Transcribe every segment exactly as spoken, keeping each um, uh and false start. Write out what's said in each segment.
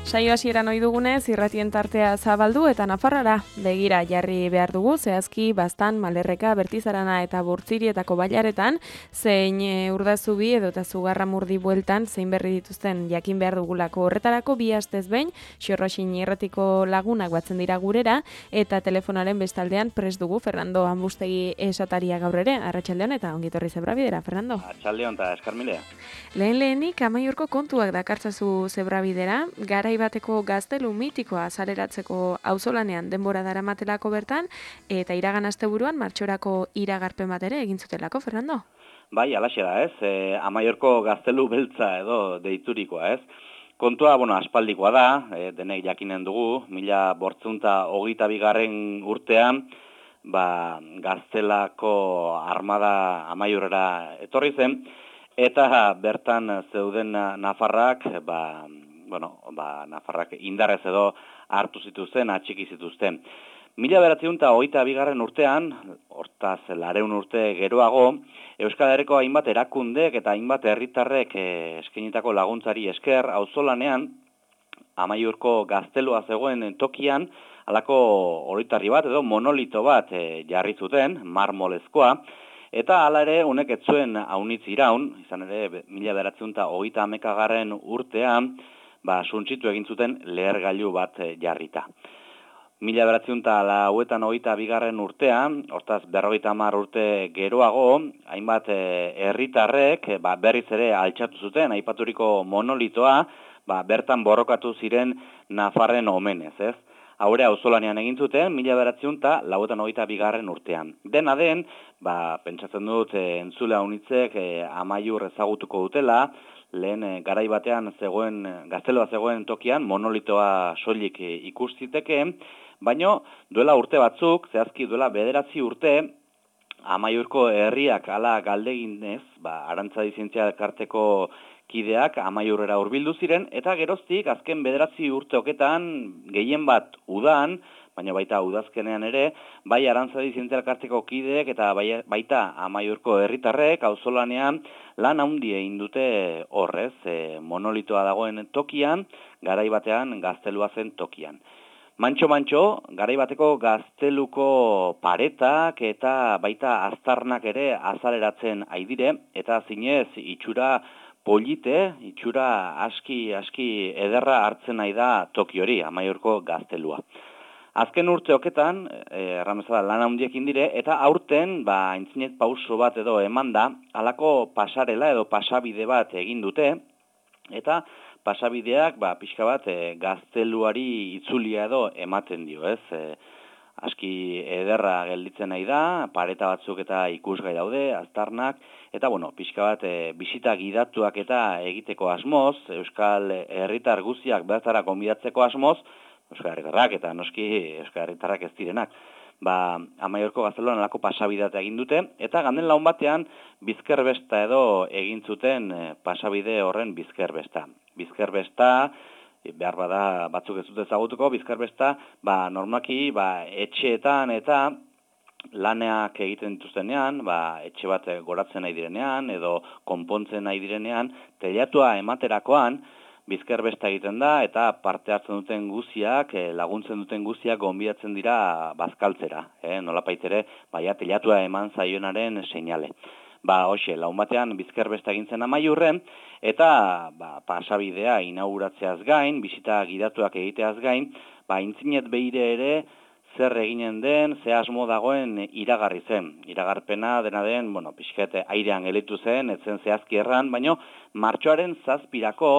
Saio hasieran ohi dugunez, irratien tartea zabaldu eta Nafarrara begira jarri behar dugu, zehazki Baztan, Malerreka, Bertizarana eta Burtzirietako bailaretan, zein e, Urdazubi edo eta Zugarramurdi bueltan zein berri dituzten jakin behar dugulako. Horretarako bi astez behin, Xorroxin irratiko lagunak batzen dira gurera, eta telefonaren bestaldean prest dugu Fernando Ambustegi esataria gaur ere. Arratsaldeon eta ongitorri Zebrabidera, Fernando. Arratsaldeon eta eskarmilea. Lehen lehenik Amaiurko kontuak dakartzazu Zebrabidera, garai bateko gaztelu mitikoa azaleratzeko auzolanean denbora daramatelako bertan, eta iragan asteburuan martxorako iragarpen bat ere egin zutelako, Fernando? Bai, alaxe da, ez? E, Amaiorko gaztelu beltza edo deiturikoa, ez? Kontua, bueno, aspaldikoa da, e, denek jakinen dugu, mila bortzunta hogeita bigarren urtean, ba, gaztelako armada Amaiurrera etorri zen, eta bertan zeuden nafarrak, ba, bueno, ba, nafarrak indarrez edo hartu zituzten, atxiki zituzten. Mila bederatziehun eta hogeita bigarren urtean, hortaz laurehun urte geroago, Euskal Herriko hainbat erakundek eta hainbat herritarrek eh, eskainitako laguntzari esker, auzolanean Amaiurko gaztelua zegoen tokian, halako oroitarri bat edo monolito bat eh, jarri zuten, marmolezkoa, eta hala ere honek ez zuen aunitz iraun, izan ere mila bederatziehun eta hogeita hamaikagarren urtean, ba, suntzitu egin zuten lehergailu bat jarrita. Mila bederatziehun eta laurogeita hogeita bigarren urtean, hortaz berrogeita hamar urte geroago, hainbat herritarrek ba, berriz ere altxatu zuten, aipaturiko monolitoa, ba, bertan borrokatu ziren Nafarren omenez, ez? Haure auzolanean egin zuten, mila bederatziehun eta laurogeita hogeita bigarren urtean. Dena den, ba, pentsatzen dut e, entzule haunitzek e, Amaiur ezagutuko dutela, lehen e, garai batean zegoen, gazteloa zegoen tokian, monolitoa soilik e, ikustiteke, baino duela urte batzuk, zehazki duela bederatzi urte, Amaiurko herriak ala galdeginez, ba, Arantzadi Zientzia Elkarteko kideak Amaiurrera hurbildu ziren, eta geroztik azken bederatzi urteoketan gehien bat udan, baina baita udazkenean ere, bai Arantzadi Zientzia Elkarteko kideek eta bai, baita Amaiurko herritarrek auzolanean lan handi egin dute horrez, e, monolitoa dagoen tokian, garai batean gaztelua zen tokian. Mantxo-mantxo, garai bateko gazteluko paretak eta baita aztarnak ere azaleratzen aidire, eta zinez itxura polite, itxura aski, aski ederra hartzen nahi da toki hori, Amaiurko gaztelua. Azken urteoketan, erramezala lan handiekin dire, eta aurten, ba, aintzinet pauso bat edo eman da, halako pasarela edo pasabide bat egin dute, eta pasabideak, ba, pixka bat, e, gazteluari itzulia edo ematen dio, ez? E, aski ederra gelditzen nahi da, pareta batzuk eta ikusgai daude, aztarnak, eta, bueno, pixka bat, e, bisita gidatuak eta egiteko asmoz, Euskal herritar guztiak bertara gonbidatzeko asmoz, Euskal herritarrak eta noski Euskal herritarrak ez direnak. Ba, Amaiurko gazteluan alako pasabideak egin dute, eta ganden laun batean bizkerbesta edo egin zuten e, pasabide horren bizkerbesta. Bizkerbesta, behar bada batzuk ez dute ezagutuko, bizkerbesta, ba, normaki, ba, etxeetan eta laneak egiten dituztenean, ba, etxe bat goratzen nahi direnean, edo konpontzen nahi direnean, teilatua ematerakoan, bizkerbesta egiten da, eta parte hartzen duten guziak, laguntzen duten guziak gonbidatzen dira bazkaltzera. Eh? Nolapait ere, baia teilatua eman zaionaren seinale. Ba, hoxe, laun batean bizkerbesta egintzen Amaiurren, eta ba, pasabidea inauguratzeaz gain, bisita gidatuak egiteaz gain, ba, intzinet behire ere zer eginen den, ze asmo dagoen iragarri zen. Iragarpena dena den, bueno, pixket airean gelitu zen, etzen zehazki erran, baino martxoaren zazpirako,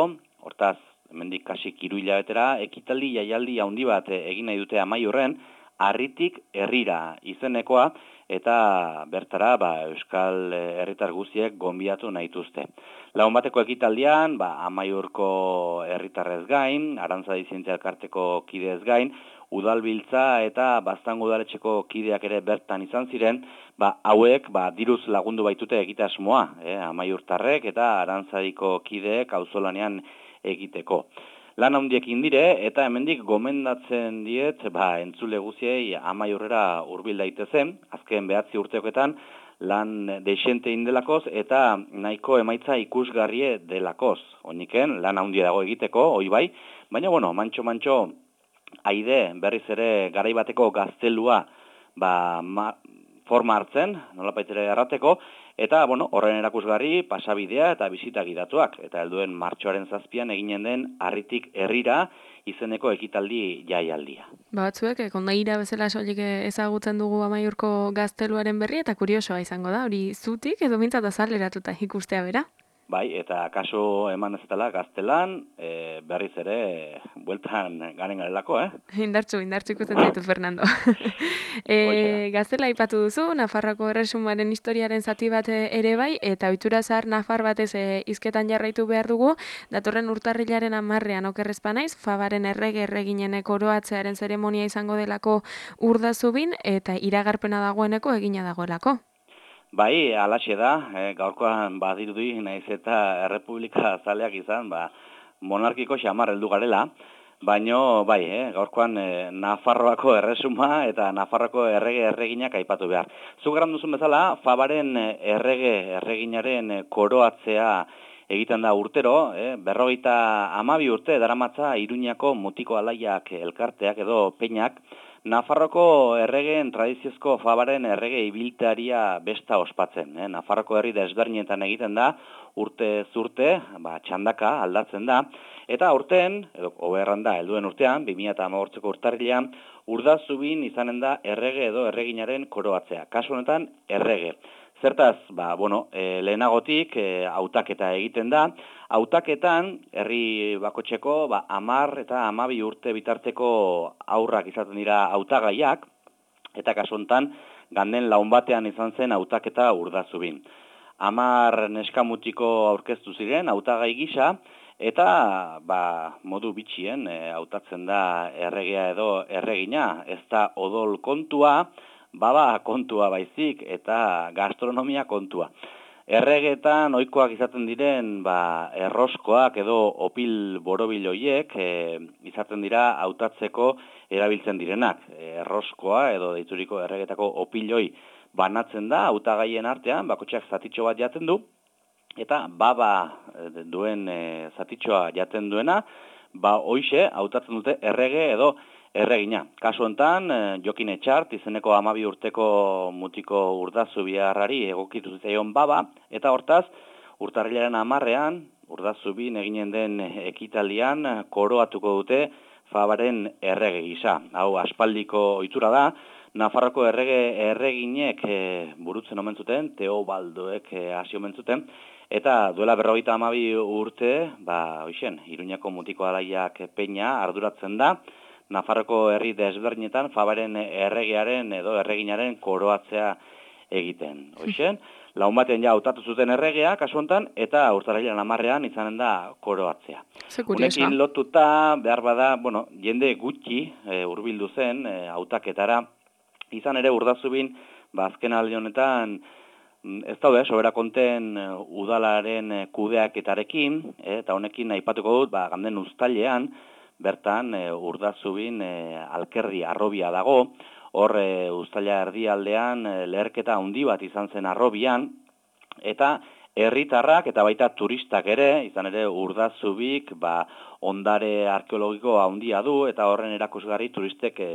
hortaz, hemendik kasik hiru hilabetera, ekitaldi jaialdi handi bat egin nahi dute Amaiurren, Harritik herrira izenekoa, eta bertara ba, Euskal herritar guztiek gonbidatu nahi dituzte. Lagun bateko ekitaldian, ba, Amaiurko herritarrez gain, Arantzadi Zientzia Elkarteko kideez gain, udalbiltza eta Baztango udaletxeko kideak ere bertan izan ziren, ba, hauek ba, diruz lagundu baitute egitasmoa, eh, Amaiurtarrek eta Arantzadiko kideek auzolanean egiteko. Lan handiekin dire, eta hemendik gomendatzen diet, ba, entzule guziei Amaiurrera hurbil daitezen, azken behatzi urteoketan, lan deixente indelakoz eta nahiko emaitza ikusgarrie delakoz. Oiniken, lan handia dago egiteko, hoi bai, baina, bueno, mantxo-mantxo, aide berriz ere garaibateko gaztelua ba, ma, forma hartzen, nolapaitere errateko, eta, bueno, horren erakusgarri pasabidea eta bisita gidatuak. Eta helduen martxoaren zazpian eginen den Harritik herrira izeneko ekitaldi jaialdia. Batzuek, kondaira bezala soilik ezagutzen dugu Amaiurko gazteluaren berri, eta kuriosoa izango da, hori zutik edo mintzat azaleratuta ikustea bera? Bai, eta kaso eman ez dela gaztelan, e, berriz ere, bueltan garen garelako, eh? Indartxu, indartxu ikusten zaitut, Fernando. e, gaztela aipatu duzu, Nafarroko erresumaren historiaren zati bat ere bai, eta ohitura zahar Nafar batez e, hizketan jarraitu behar dugu, datorren urtarrilaren hamarrean okerrezpa naiz, Fabaren errege erreginen koroatzearen zeremonia izango delako Urdazubin, eta iragarpena dagoeneko egina dagoelako. Bai, alaxe da, e, gaurkoan badirudi, naiz eta errepublika zaleak izan, ba, monarkiko xamar heldu garela, baino, bai, eh, gaurkoan e, Nafarroako erresuma eta Nafarroako errege erreginak aipatu behar. Zuk eran duzun bezala, Fabaren errege erreginaren koroatzea egiten da urtero, eh, berrogeita hamabi urte daramatza Iruñako mutiko alaiak elkarteak edo peinak, Nafarroko erregeen tradiziozko Fabaren errege ibiltaria besta ospatzen. Eh? Nafarroko herri desberdinetan egiten da, urte zurte, ba, txandaka aldatzen da, eta urten, edo oberran da, helduen urtean, bi mila hamabosteeko urtarrilean, Urdazubin izanen da errege edo erreginaren koroatzea. Kasu honetan, errege. Zertaz, ba, bueno, e, lehenagotik e, hautaketa egiten da. Hautaketan, herri bakotxeko, ba, amar eta amabi urte bitarteko aurrak izaten dira hautagaiak, eta kasu honetan, ganden laun batean izan zen hautaketa Urdazubin. Amar neskamutiko aurkeztu ziren hautagai gisa, eta ba, modu bitxien e, hautatzen da erregea edo erregina, ez da odol kontua, baba kontua baizik eta gastronomia kontua. Erregetan ohikoak izaten diren ba, erroskoak edo opil borobil hoiek e, izaten dira hautatzeko erabiltzen direnak. Erroskoa edo deituriko erregetako opiloi banatzen da hautagaien artean, bakotxeak zatitxo bat jaten du, eta baba duen e, zatitxoa jaten duena, ba hoixe hautatzen dute errege edo erregina. Kasu honetan, Jokin Etxart, izeneko hamabi urteko mutiko Urdazubiarrari egokitu zitzaion baba, eta hortaz, urtarrilaren hamarrean, Urdazubin eginen den ekitaldian, koroatuko dute Fabaren errege gisa. Hau, aspaldiko ohitura da, Nafarroko errege erreginek e, burutzen omen zuten, Teobaldoek e, hasi omen zuten, eta duela berrogeita hamabi urte, ba, hoixen, Iruñako mutiko alaiak peina arduratzen da, Nafarroko herri desberdinetan Fabaren erregearen edo erreginaren koroatzea egiten. Hoixen, laun baten ja hautatu zuten erregea, kasu honetan, eta urtarrilaren hamarrean izanen da koroatzea. Honekin lotuta, behar bada, bueno, jende gutxi e, hurbildu zen e, hautaketara, izan ere Urdazubin, ba, azken aldi honetan, ez daude, sobera konten udalaren kudeaketarekin, e, eta honekin aipatuko dut, ba, ganden uztailean, bertan e, Urdazubin e, alkerdi arrobia dago, hor e, uztaila erdialdean e, leherketa handi bat izan zen arrobian, eta herritarrak eta baita turistak ere, izan ere Urdazubik ba, ondare arkeologiko handia du, eta horren erakusgarri turistek e,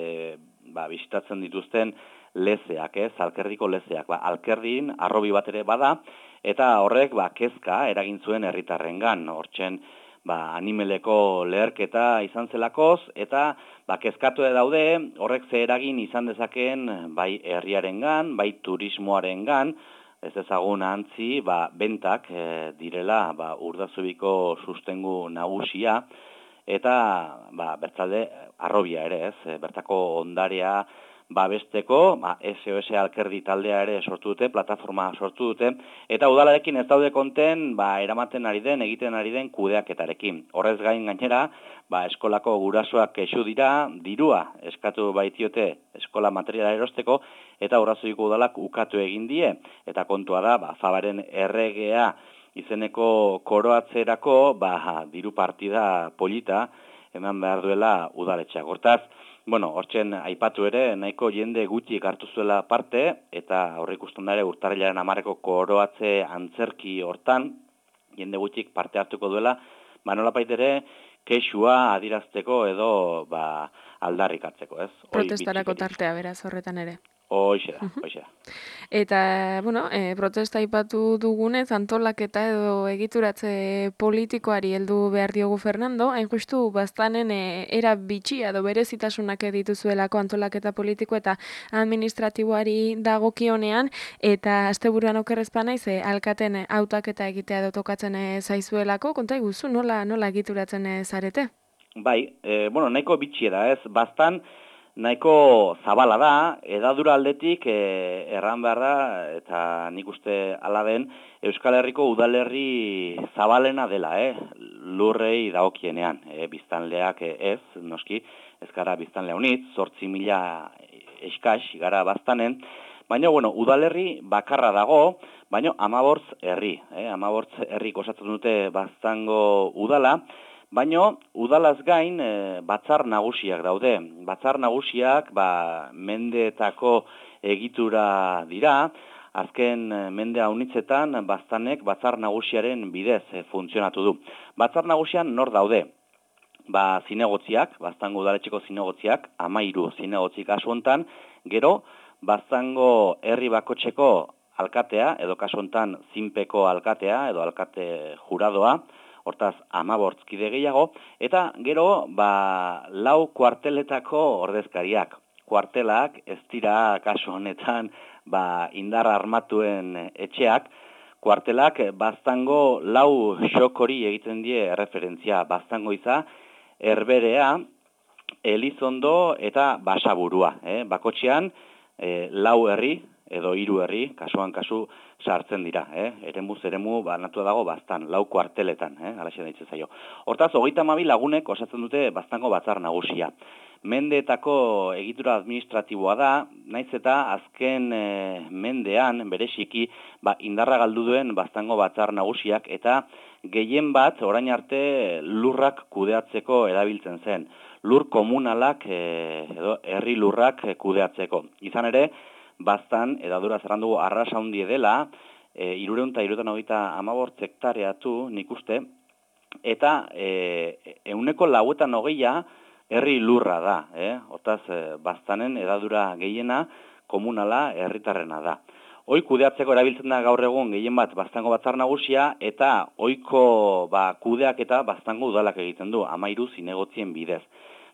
ba, bisitatzen dituzten lezeak, ez, alkerdiko lezeak. Ba, alkerdin arrobi bat ere bada, eta horrek ba, kezka eragin zuen herritarrengan, hortzen ba, animeleko leherketa izan zelakoz, eta ba, kezkatu daude, horrek ze eragin izan dezakeen bai herriarengan, bai turismoarengan, ez ezagun antzi, ba, bentak e, direla ba, Urdazubiko sustengu nagusia, eta ba, bertzalde arrobia ere, ez, bertako ondarea babesteko, ba, S O S alkerdi taldea ere sortu dute, plataforma sortu dute, eta udalarekin ez daude konten, ba, eramaten ari den, egiten ari den kudeaketarekin. Horrez gain gainera, ba, eskolako gurasoak kexu dira, dirua eskatu baitiote eskola materiala erosteko, eta Urdazubiko udalak ukatu egin die, eta kontua da, ba, Fabaren erregea izeneko koroatzerako, ba, diru partida polita eman behar duela udaletxeak. Hortaz, bueno, hortzen aipatu ere, nahiko jende gutxik hartu zuela parte, eta aurreikusten da ere urtarrilaren hamarreko koroatze antzerki hortan, jende gutxik parte hartuko duela, ba nolapait ere, kexua adirazteko edo ba, aldarrikatzeko, ez? Protestarako tartea beraz horretan ere. Hoixe da, hoixe da. Eta, bueno, e, protesta aipatu dugunez, antolaketa edo egituratze politikoari heldu behar diogu Fernando, hain justu baztanen e, era bitxia edo berezitasunak dituzuelako antolaketa politiko eta administratiboari dagokionean, eta asteburuan okerrezpa naiz, e, alkaten hautaketa egitea edo tokatzen e, zaizuelako, konta iguzu, nola, nola egituratzen e, zarete? Bai, e, bueno, nahiko bitxia da, ez? Baztan, nahiko zabala da, edadura aldetik e, erran behar da, eta nik uste hala den, Euskal Herriko udalerri zabalena dela, eh? Lurrei dagokienean, e, biztanleak ez, noski, ez gara biztanlea unitz, zortzi mila eskas gara baztanen, baina, bueno, udalerri bakarra dago, baina amabortz herri, eh? amabortz herrik osatzen dute baztango udala, baina udalaz gain e, batzar nagusiak daude. Batzar nagusiak ba, mendeetako egitura dira, azken mende haunitzetan baztanek batzar nagusiaren bidez e, funtzionatu du. Batzar nagusian nor daude? Ba, zinegotziak, baztango udaletxeko zinegotziak, amairu zinegotzik kasu hontan, gero baztango herri bakotxeko alkatea, edo kasu hontan zinpeko alkatea, edo alkate juradoa, hortaz amabortzkide gehiago, eta gero ba, lau kuarteletako ordezkariak. Kuartelak ez dira kasu honetan ba, indar armatuen etxeak, kuartelak baztango lau xokori egiten die referentzia, baztango iza, Herberea, Elizondo eta Basaburua. Eh? Bakotxean eh, lau herri, edo hiru herri, kasuan kasu sartzen dira, eh? eremu zeremu banatu dago baztan, lau kuarteletan, eh? alaxe daitzen zaio. Hortaz, hogeita hamabi lagunek osatzen dute baztango batzar nagusia. Mendeetako egitura administratiboa da, naiz eta azken e, mendean, bereziki, ba, indarra galdu duen baztango batzar nagusiak, eta gehien bat, orain arte, lurrak kudeatzeko erabiltzen zen. Lur komunalak, e, edo herri lurrak kudeatzeko. Izan ere, baztan, edadura zerran dugu, arrasa handie dela, e, irureun eta irureun hogeita amabort hektareatu nik uste, eta e, euneko lauetan hogeia herri lurra da, eh? Hortaz, e, baztanen edadura gehiena komunala herritarrena da. Hoi kudeatzeko erabiltzen da gaur egun gehien bat baztango batzar nagusia, eta ohiko ba, kudeak eta baztango udalak egiten du, amairu zinegotzien bidez.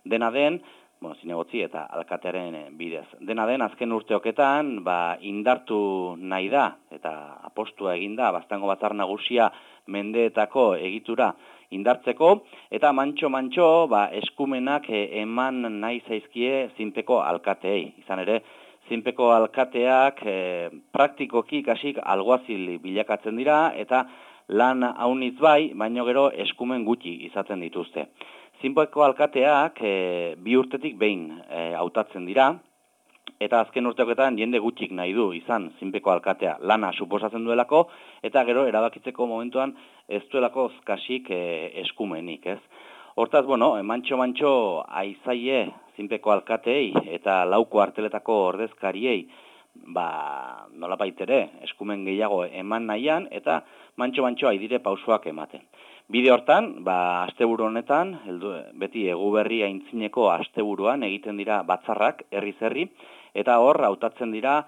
Dena den, bueno, zinegotzi eta alkatearen bidez. Dena den, azken urteoketan, ba, indartu nahi da, eta apostua eginda, baztango batzar nagusia mendeetako egitura indartzeko, eta mantxo-mantxo ba, eskumenak eman nahi zaizkie zinpeko alkateei. Izan ere, zinpeko alkateak e, praktikoki kasik alguazil bilakatzen dira, eta lan haunitz bai, baino gero eskumen gutxi izaten dituzte. Zinpeko alkateak e, bi urtetik behin e, hautatzen dira, eta azken urteoketan jende gutxik nahi du izan zinpeko alkatea lana suposatzen duelako, eta gero erabakitzeko momentuan ez duelako kasik e, eskumenik, ez? Hortaz, bueno, mantxo-mantxo aizaie zinpeko alkateei eta lauko arteletako ordezkariei, ba, nolapait ere, eskumen gehiago eman nahian, eta mantxo-mantxo aidire pausoak ematen. Bide hortan, ba, asteburu honetan, heldu, beti eguberri aintzineko asteburuan egiten dira batzarrak, herri-herri, eta hor hautatzen dira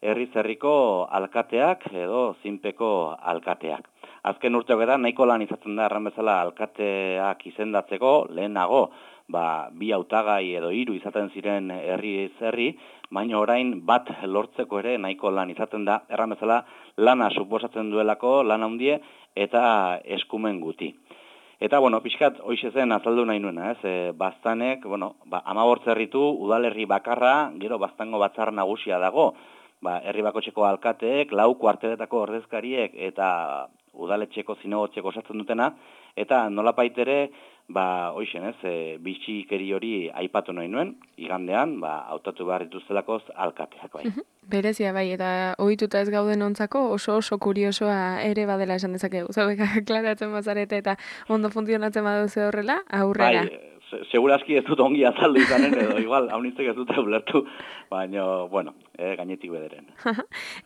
herri-herriko alkateak edo zinpeko alkateak. Azken urteoketan nahiko lan izaten da erran bezala alkateak izendatzeko, lehenago, ba, bi hautagai edo hiru izaten ziren herri-herri, baina orain bat lortzeko ere nahiko lan izaten da, erran bezala lana suposatzen duelako, lan handie, eta eskumen guti. Eta, bueno, pixkat, hoize zen azaldu nahi nuena, ez? E, baztanek, bueno, ba, amabortz herritu, udalerri bakarra, gero baztango batzar nagusia dago, ba, herri bakotxeko alkateek, lau kuarteletako ordezkariek, eta udaletxeko zinegotxeko osatzen dutena, eta nolapait ere, ba, hoixen, ez, e, bitxikeri hori aipatu nahi nuen, igandean, ba, hautatu behar dituztelakoz alkateak, bai. Berezia bai, eta ohituta ez gauden ontzako oso oso kuriosoa ere badela esan dezakegu. Zaudek, aklaratzen bazarete eta ondo funtzionatzen baduzu horrela, aurrera. Bai, Segurazki ez dut ongi azaldu izanen, edo igual, haunitzek ez dute ulertu, baina, bueno, eh, gainetik bederen.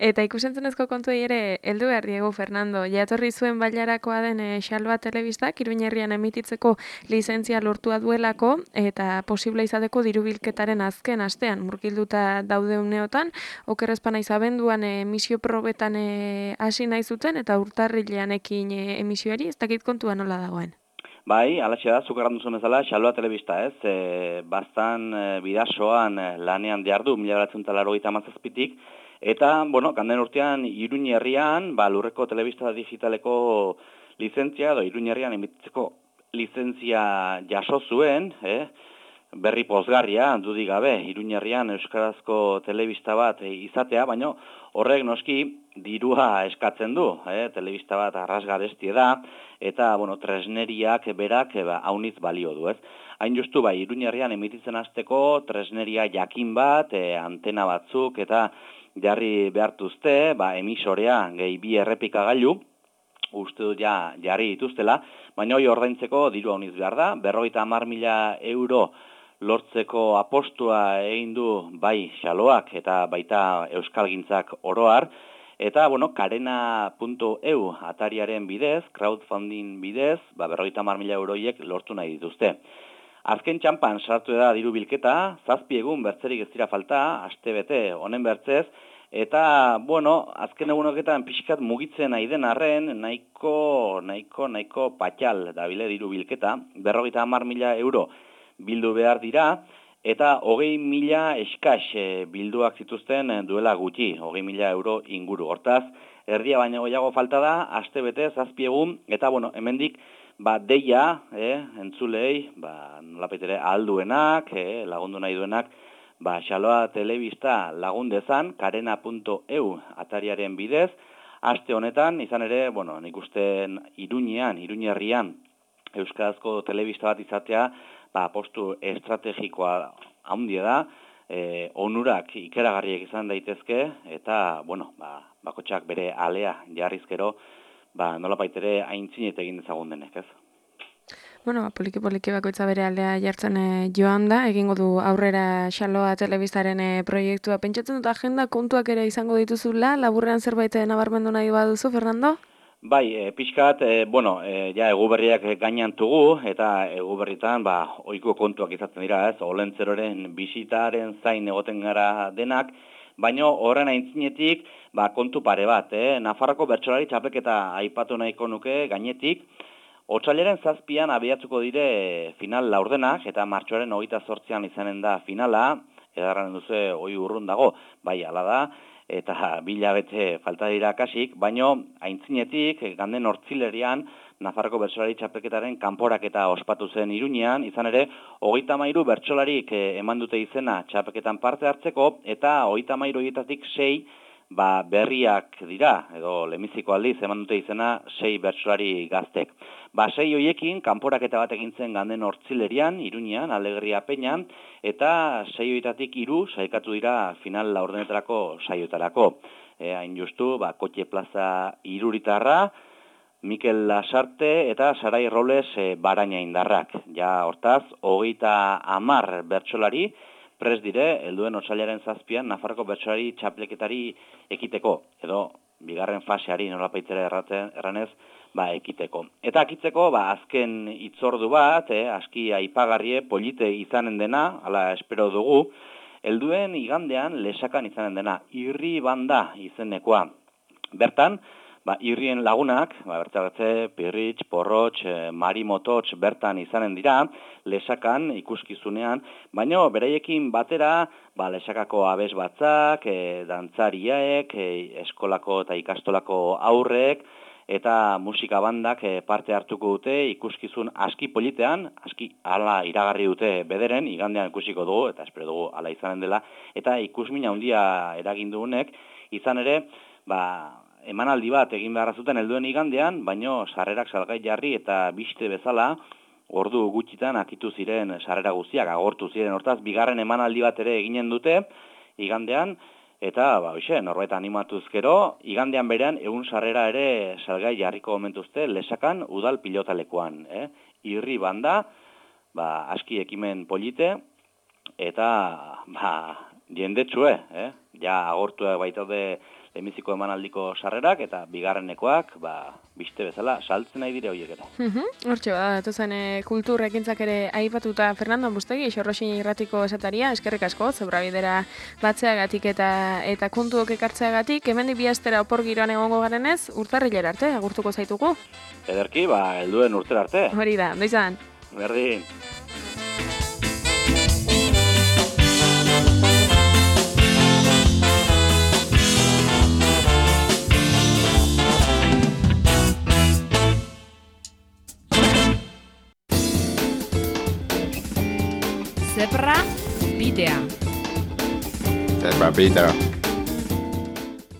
Eta ikusentzunezko kontuei ere, heldu behar Diego Fernando, jatorri zuen bailarakoa den e, Xaloa Telebistak, Iruin herrian emititzeko lizentzia lortua duelako, eta posible izateko dirubilketaren azken astean, murgilduta daude uneotan, okerrezpana izabenduan emisio probetan e, hasi nahi zuten, eta urtarrilean ekin e, emisioari, ez dakit kontua nola dagoen. Bai, alatxe da, zukarran duzun bezala, Xaloa Telebista ez, e, bastan e, bidasoan e, lanean diardu, mila beratzen talaro gita mazazpitik, eta, bueno, kanden urtean, Iruin herrian, ba, lurreko telebista digitaleko lizentzia, edo Iruin herrian emititzeko lizentzia jaso zuen, eh? Berri pozgarria, dudik gabe, Iruin herrian euskarazko telebista bat e, izatea, baina horrek noski dirua eskatzen du, eh? Telebista bat arrasgarestie da, eta, bueno, tresneriak berak ba, haunitz balio du, ez? Hain justu, bai, Iruin herrian emititzen hasteko tresneria jakin bat, e, antena batzuk, eta jarri behartuzte, ba, emisorea, gehi bi errepikagailu, uste dut ja jarri dituztela, baina hori ordaintzeko diru hauniz behar da, berrogeita hamar mila euro lortzeko apostua egin du bai Xaloak eta baita euskalgintzak oroar, eta, bueno, karena puntu e u atariaren bidez, crowdfunding bidez, ba, berrogeita hamar mila euroiek lortu nahi dituzte. Azken txampan sartu da diru bilketa, zazpi egun bertzerik ez dira falta, aste bete honen bertzez, eta, bueno, azken egunoketan pixkat mugitzen nahi den arren, nahiko, nahiko, nahiko patxal dabile diru bilketa, berrogeita hamar mila euro bildu behar dira, eta hogei mila eskas e, bilduak zituzten duela gutxi, hogei mila euro inguru. Hortaz, erdia baino gehiago falta da, aste bete, zazpi egun, eta, bueno, hemendik, ba, deia, eh, entzulei, ba, nolapaitere alduenak, eh, lagundu nahi duenak, ba, Xaloa Telebista lagundezan, karena puntu e u atariaren bidez, aste honetan, izan ere, bueno, nik uste Iruñean, Iruin herrian, euskarazko telebista bat izatea, ba, postu estrategikoa handia da, e, onurak ikeragarriek izan daitezke, eta, bueno, ba, bakotxak bere alea jarrizkero, ba, nola baitere aintzinet egin dezagun denek, ez? Bueno, poliki-poliki bakoitza bere aldea jartzen e, joan da, egingo du aurrera Xaloa Telebistaren e, proiektua. Pentsatzen dut agenda kontuak ere izango dituzula, laburrean zerbait nabarmendu nahi baduzu, Fernando? Bai, e, pixkat, e, bueno, e, ja eguberriak gainan tugu, eta eguberritan, ba, ohiko kontuak izaten dira, ez, olentzeroren bisitaren zain egoten gara denak, baino horren aintzinetik, ba, kontu pare bat, eh? Nafarroko bertsolari txapelketa aipatu nahiko nuke gainetik, otsailaren zazpian abiatuko dire final laurdenak, eta martxoaren hogeita zortzian izanen da finala, edarren duze hoi urrun dago, bai, ala da, eta bila bete falta dira kasik, baino aintzinetik, ganden hortzilerian, Nafarroko bertsolari txapelketaren kanporaketa ospatu zen Iruñean, izan ere, hogeita hamairu bertsolarik eman dute izena txapelketan parte hartzeko, eta hogeita hamairu horietatik sei ba, berriak dira, edo lemiziko aldiz eman dute izena sei bertsolari gaztek. Ba, sei hoiekin, kanporaketa bat egin zen ganden hortzilerian, Iruñean, Alegria Peñan, eta sei horietatik hiru sailkatu dira final laurdenetarako saiotarako. E, hain justu, ba, Kotxe Plaza Iruritarra, Mikel Lasarte eta Sarai Robles e, Baraina indarrak. Ja, hortaz, hogeita hamar bertsolari, prez dire, helduen otsailaren zazpian, Nafarroko bertsolari txapleketari ekiteko, edo bigarren faseari nolapaitzera erraten, erranez, ba, ekiteko. Eta akitzeko, ba, azken hitzordu bat, eh, aski aipagarrie, polite izanen dena, ala espero dugu, helduen igandean lesakan izanen dena, irri banda izenekoa. Bertan, ba, irrien lagunak, ba, bertagatze, Pirritx, Porrotx, e, Mari Mototx bertan izanen dira, lesakan ikuskizunean, baina beraiekin batera, ba, lesakako abes batzak, e, dantzariaek, e, eskolako eta ikastolako aurrek, eta musika bandak e, parte hartuko dute ikuskizun aski politean, aski hala iragarri dute bederen, igandean ikusiko dugu, eta espero dugu hala izanen dela, eta ikusmina handia eragin dugunek, izan ere, ba, emanaldi bat egin beharra zuten helduen igandean, baino sarrerak salgai jarri eta biste bezala, ordu gutxitan akitu ziren sarrera guztiak, agortu ziren. Hortaz, bigarren emanaldi bat ere eginen dute igandean, eta, ba, hoxe, norbait animatuz gero, igandean berean egun sarrera ere salgai jarriko momentuzte lesakan udal pilotalekuan. Eh? Irri banda, ba, aski ekimen polite, eta ba, jendetsue, eh? Ja agortu baitaude lehenbiziko emanaldiko sarrerak, eta bigarrenekoak, ba, biste bezala, saltzen nahi dire horiek ere. Hortxe, bada, datuzen e, kultur ekintzak ere aipatuta Fernando Ambustegi, Xorroxin irratiko esataria, eskerrik asko, zebrabidera batzeagatik eta eta kontuok ekartzeagatik, hemendik bi astera opor giroan egongo garenez, urtarrilera arte, agurtuko zaitugu. Ederki, ba, helduen urtera arte. Hori da, ondo izan. Berdin. Zebra bidea. Zebra bidea.